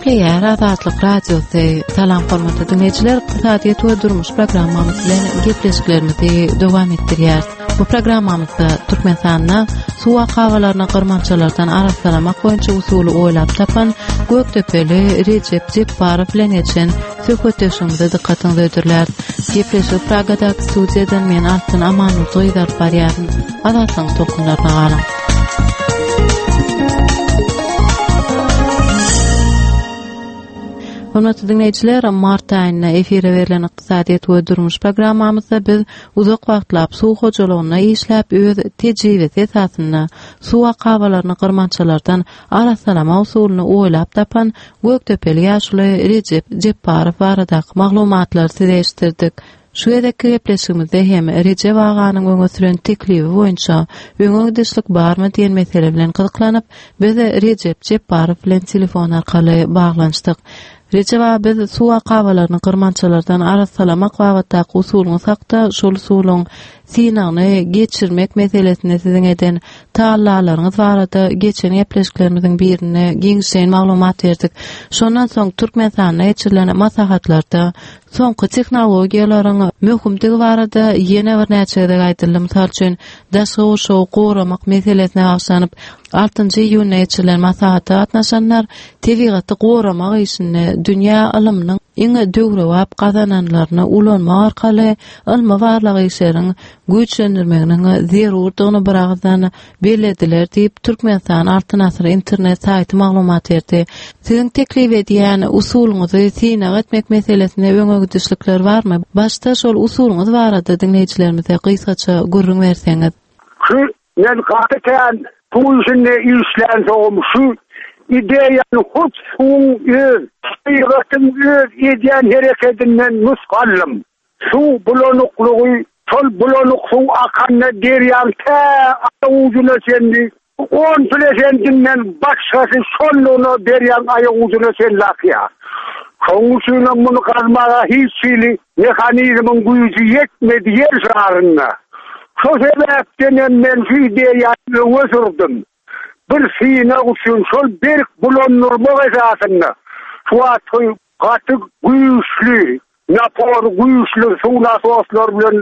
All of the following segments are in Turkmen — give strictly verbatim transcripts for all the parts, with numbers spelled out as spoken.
Gepleýär Azatlyk Radiosy. Salam hormatly dinleýjiler, ykdysadyýet we durmuş programmamyz bilen gepleşiklerimizi dowam etdirýäris. Bu programmamyzda Türkmenistanda suw akabalaryny gyrmançalardan arassalamak boýunça usuly oýlap tapan Gökdepeli Rejep Jepbarow bilen geçen söhbetdeşligimize dykgatyňyzy hödürläris. Gepleşigi Pragadaky studiýadan men Altyn Amanurdy alyp barýaryn. Azatlygyň tolkunlaryna galyň. Hormatly dinleýjiler, mart aýynda efire berlen ykdysadyýet we durmuş programmamyzda biz uzak wagtlap suw hojalygynda işläp, öz tejribesi esasynda suw akabalaryny gyrmançalardan arassalama usulyny oýlap tapan Gökdepeli ýaşuly Rejep Jepbarow baradaky maglumatlary size eşitdirdik. Şu gezekki gepleşigimizde hem Rejep aganyň öňe süren teklibi boýunça öňe gidişlik barmy diýen mesele bilen gyzyklanyp, biz Rejep Jepbarow bilen telefon arkaly baglanyşdyk. Rejep aga, biz suw akabalaryny gyrmançalardan arassalamak babatdaky usulyňyz hakda, şol usulyň synagyny geçirmek meselesinde siziň eden tagallalaryňyz barada geçen gepleşiklerimiziň birinde giňişleýin maglumat berdik. Şondan soň Türkmenistanda geçirilen maslahatlarda soňky tehnologiýalaryň möhümdigi barada ýene birnäçe gezek aýdyldy. Mysal üçin, daşky gurşawy goramak meselesine bagyşlanyp, altynjy iýunda geçirilen maslahata gatnaşanlar tebigaty goramak işinde dünýä ylymynyň iň döwrebap gazananlaryny ulanmak arkaly ylmy-barlag işleriň güýçlendirmeginiň zerurdygyny biragyzdan bellediler diýip, Türkmenistan Altyn Asyr internet saýty maglumat berdi. Siziň teklip edýän usulyňyzy synag etmek meselesinde öňe gidişlikler barmy? Başda şol usulyňyz barada diňleýjilerimize gysgaça gürrüň berseňiz. Şu men gaty kän suw işinde işlänsoňum şu ideýany hut suwuň öz, tebigatyň öz edýän herekedinden nusga aldym. Suw bulanyklygy, şol bulanyk suw akanda derýaň tä aýak ujuna çenli on prosentinden başgasy şonlugyna derýaň aýak ujuna çenli akýar. Şonuň üçinem muny gazmaga hiç hili mehanizmiň güýji ýetmedi ýer şarynda. Şo sebäpdenem men şu ideýany öňe sürdüm. Bir synag üçin şol berk bulandyrmak esasynda şu wagtky gaty güýçli, napor güýçli suw nasoslary bilen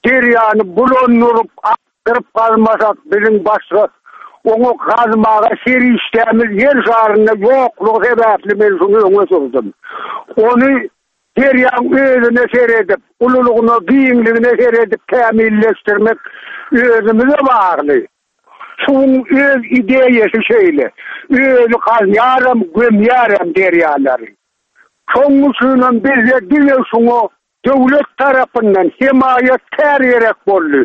derýany bulandyryp, akdyryp gazmasak biziň başga oňa gazmaga serişdämiz ýer şarynda ýoklugy sebäpli men şuny öňe sürdüm. Ony derýaň özüne seredip, ululygyna, giňligine seredip kämilleşdirmek özümize bagly. Suwuň öz ideýasy şeýle. Özi gazýaram, gömýärem derýalary. Şonuň üçinem bizde diňe şuňa döwlet tarapyndan hemaýatkär gerek boldy.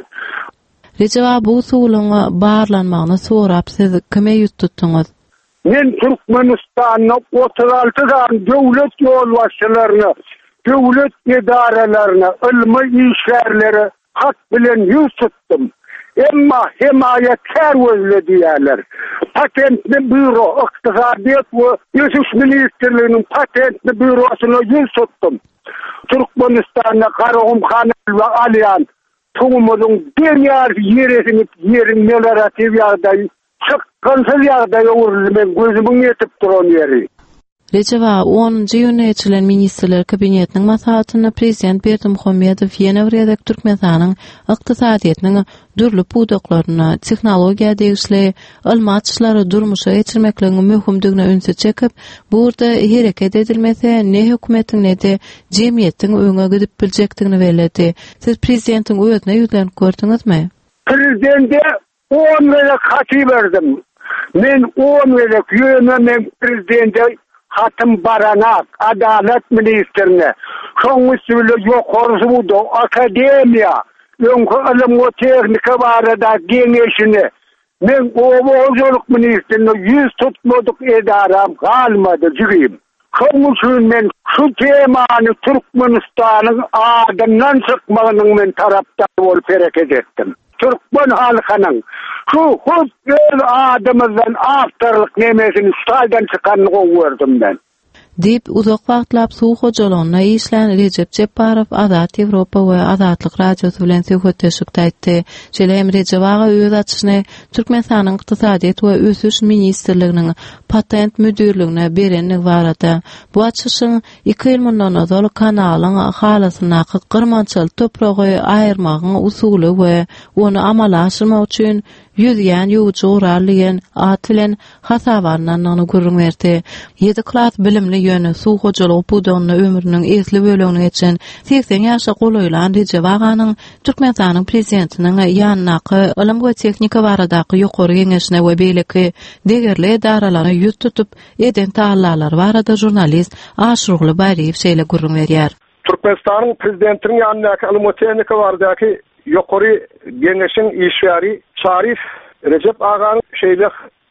Rejep aga, bu usulyň barlanmagyny sorap siz kime ýüz tutduňyz? Men Türkmenistanda otuz alty sany döwlet ýolbaşçylaryna, döwlet edaralaryna, ylmy işgärlere hat bilen ýüz tutdum. Emma hemaýatkär gözle diýýärler. Patentli býuro, ykdysadyýet we ösüş ministrliginiň patentli býurosyna ýüz tutdum. Türkmenistanda Garagum kanaly alýan suwumyzyň deň ýarysy ýere siňip, ýeriň meliorativ ýagdaýy çykgynsyz ýagdaýa öwrüldi, men gözümiň ýetip duran ýeri. Rejep aga, onunjy iýunda geçirilen Ministrler Kabinetiniň maslahatynda Prezident Berdimuhamedow ýene bir gezek Türkmenistanyň ykdysadyýetiniň dürli pudaklarynda tehnologiýa degişli ylmy açyşlary durmuşa geçirmekligiň möhümdigine ünsi çekip, bu ugurda hereket edilmese ne hökümetiň ne-de jemgyýetiň öňe gidip biljekdigini belledi. Siz prezidentiň özüne ýüzlenip gördüňizmi? Prezidente on gezek hat iberdim. Men on gezek ýöne men prezidente hatym baranak, adalat ministrine, şoň üsti bile ýokary suda, akademiýa, öňki ylym we tehnika barada geňeşine, men oba hojalyk ministrine ýüz tutmadyk edaram galmady jigim. Şoň üçin men şu temany Türkmenistanyň adyndan çykmagynyň men tarapdary bolup hereket etdim. Türkmen halkynyň şu hut öz adymyzdan awtorlyk nemesini şu taýdan çykanyny gowy gördüm men. Diýip, uzak wagtlap suw hojalygynda işlän Rejep Jepbarow Azat Ýewropa we Azatlyk Radiosy bilen söhbetdeşlikde aýtdy. Şeýle hem Rejep aga öz açyşyny Türkmenistanyň Ykdysadyýet we ösüş ministrliginiň patent müdirligine berenligi barada, bu açyşyň iki ýyl mundan ozal kanalyň halasyndaky gyrmançaly topragy aýyrmagyň usuly we ony amala aşyrmak üçin ýüzýän ýuwujy gural diýen at bilen hasaba alnandygyny gürrüň berdi. Ýedi klas bilimli ýöne suw hojalygy pudagynda ömrüniň esli bölegini geçen segsen ýaşa golaýlan Rejep aganyň Türkmenistanyň Prezidentiniň ýanyndaky Ylym we tehnika baradaky ýokary geňeşine we beýleki degerli edaralara ýüz tutup eden tagallalary barada žurnalist Aşyrguly Baýryýew şeýle gürrüň berýär. Türkmenistanyň Prezidentiniň ýanyndaky Ylym we tehnika baradaky ýokary geňeşiň işgäri Çaryýew Rejep aganyň şeýle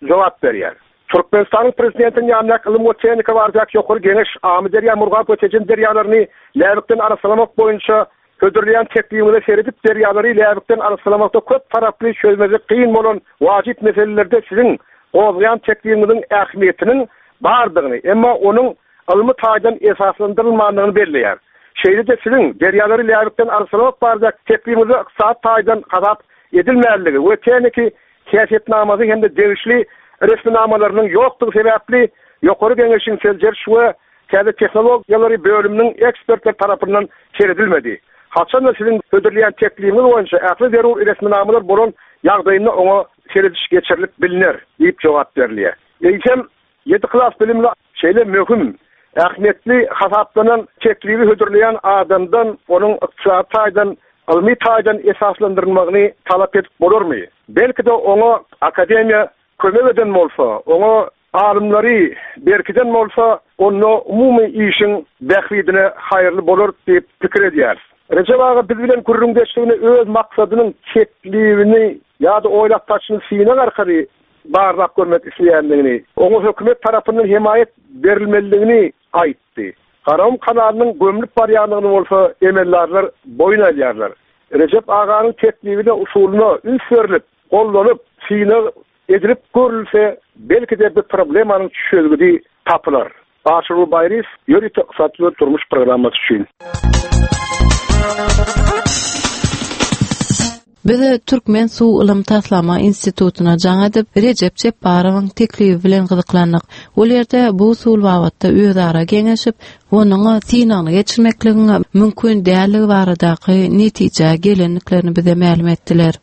jogap berýär. Türkmenistanyň Prezidentiniň ýanyndaky Ylym we tehnika baradaky ýokary geňeş Amyderýa, Murgap we Tejen derýalaryny läbikden arassalamak boýunça hödürleýän teklibiňize seredip derýalary läbikden arassalamakda köp taraply çözmesi kyn bolan wajyp meselelerde siziň gozgaýan teklibiňiziň ähmiýetiniň bardygyny, emma onuň ylmy taýdan esaslandyrylmandygyny belleýär. Şeýle-de siziň derýalary läbikden arassalamak baradaky teklibiňize ykdysady taýdan hasap edilmänligi we tehniki häsiýetnamasy hem-de degişli resminamalarynyň ýokdugy sebäpli ýokary geňeşiň seljeriş we täze tehnologiýalary bölüminiň ekspertler tarapyndan seredilmedi. Haçanda siziň hödürleýän teklibiňiz boýunça ähli zerur resminamalar bolan ýagdaýynda oňa serediş geçirilip bilner diýip jogap berilýär. Eýsem ýedi klas bilimli şeýle möhüm ähmiýetli hasaplanan teklibi hödürleýän adamdan onuň ykdysady taýdan, ylmy taýdan esaslandyrylmagyny talap edip bolarmy? Belki-de oňa akademiýa kömek eden bolsa, oňa alymlary berkiden bolsa, onda umumy işiň bähbidine haýyrly bolar diýip pikir edýäris. Rejep aga biz bilen gürrüňdeşligini öz maksadynyň teklibini ýa-da oýlap tapyşyny synag arkaly barlap görmek isleýändigini, oňa hökümet tarapyndan hemaýat berilmelidigini aýtdy. Garagum kanalynyň gömlüp barýandygyny bolsa emeldarlar boýun alýarlar. Rejep aganyň teklibine, usulyna üns berlip, gollanyp, synag edilip görülse, belki-de bu problemanyň çözgüdi tapylar. Aşyrguly Baýryýew, ýörite ykdysady we durmuş programmasy üçin. Biz Türkmen Suw Ylym Taslama Institutyna jaň edip, Rejep Jepbarowyň teklibi bilen gyzyklandyk. Ol ýerde bu usul babatda özara geňeşip, onuň synagyny geçirmekligiň mümkin dälligi baradaky netijä gelendiklerini bize mälim etdiler.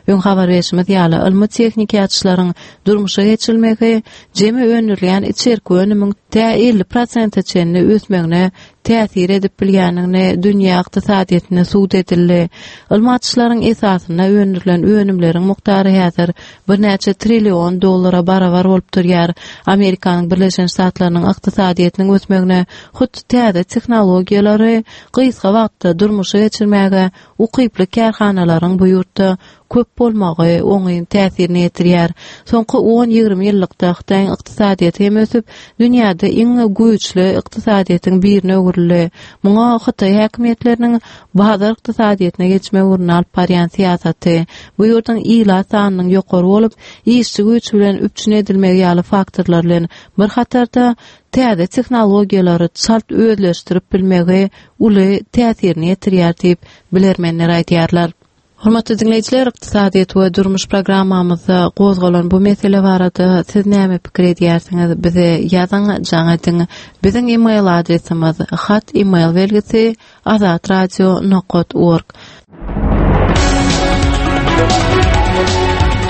Öň habar berşimiz ýaly, ylmy tehniki açyşlaryň durmuşa geçirilmegi jemi öndürilýän içerki önümiň tä elli prosente çenli ösmegine täsir edip bilýändigini dünýä ykdysadyýetinde subut edildi. Ylmy açyşlaryň esasynda öndürilen önümleriň mukdary häzir birnäçe trillion dollara barabar bolup durýar. Amerikanyň Birleşen Ştatlarynyň ykdysadyýetiniň ösmegine hut täze tehnologiýalary gysga wagtda durmuşa geçirmäge ukyply kärhanalaryň bu ýurtda köp bolmagy oňyn täsirini ýetirýär. Soňky on ýigrimi ýyllykda Hytaýyň ykdysadyýeti hem ösüp, dünýäde iň güýçli ykdysadyýetiň birine öwrüldi. Muňa Hytaý häkimiýetleriniň bazar ykdysadyýetine geçme ugruna alyp barýan syýasaty, bu ýurduň ilat sanynyň ýokary bolup, işçi güýç bilen üpjün edilmegi ýaly faktorlar bilen bir hatarda täze tehnologiýalary çalt özleşdirip bilmegi uly täsirini ýetirýär diýip bilermenler aýdýarlar. Hormatly dinleýjiler, ykdysadyýet we durmuş programmamyzda gozgalan bu mesele barada siz näme pikir edýärsiňiz? Bize ýazyň, jaň ediň. Biziň e-mail adresimiz hat e-mail belgisi azatradio nokta org.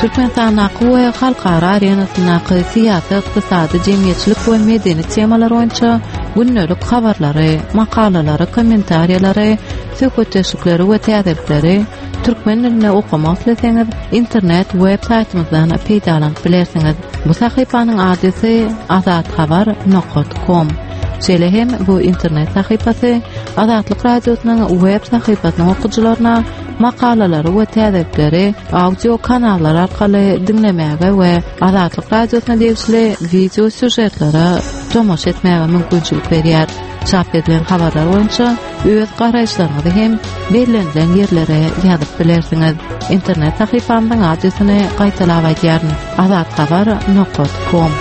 Türkmenistandaky we halkara arenasyndaky syýasy, ykdysady, jemgyýetçilik we medeni temalar boýunça gündelik habarlary, makalalary, kommentariýalary, söhbetdeşlikleri we täzelikleri türkmen dilinde okamak isleseňiz, internet web saýtymyzdan peýdalanyp bilersiňiz. Bu sahypanyň adresi azathabar nokta com. Şeýle hem bu internet sahypasy Azatlyk Radiosynyň web sahypasynyň okyjylaryna makalalary we täzelikleri audio kanallar arkaly diňlemäge we Azatlyk Radiosyna degişli video sýužetlere tomaşa etmäge mümkinçilik berýär. Çap edilen habarlar boýunça öz garaýyşlaryňyzy hem bellenilen ýerlere ýazyp bilersiňiz. Internet sahypamyzyň adresini gaýtalap aýdýaryn: azathabar nokta com.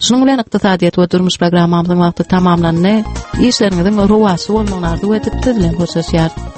Şunuň bilen ykdysadyýet we durmuş programmamyzyň wagty tamamlandy. Işleriňiziň rowaçly bolmagyny arzuw edip siz bilen hoşlaşýarys.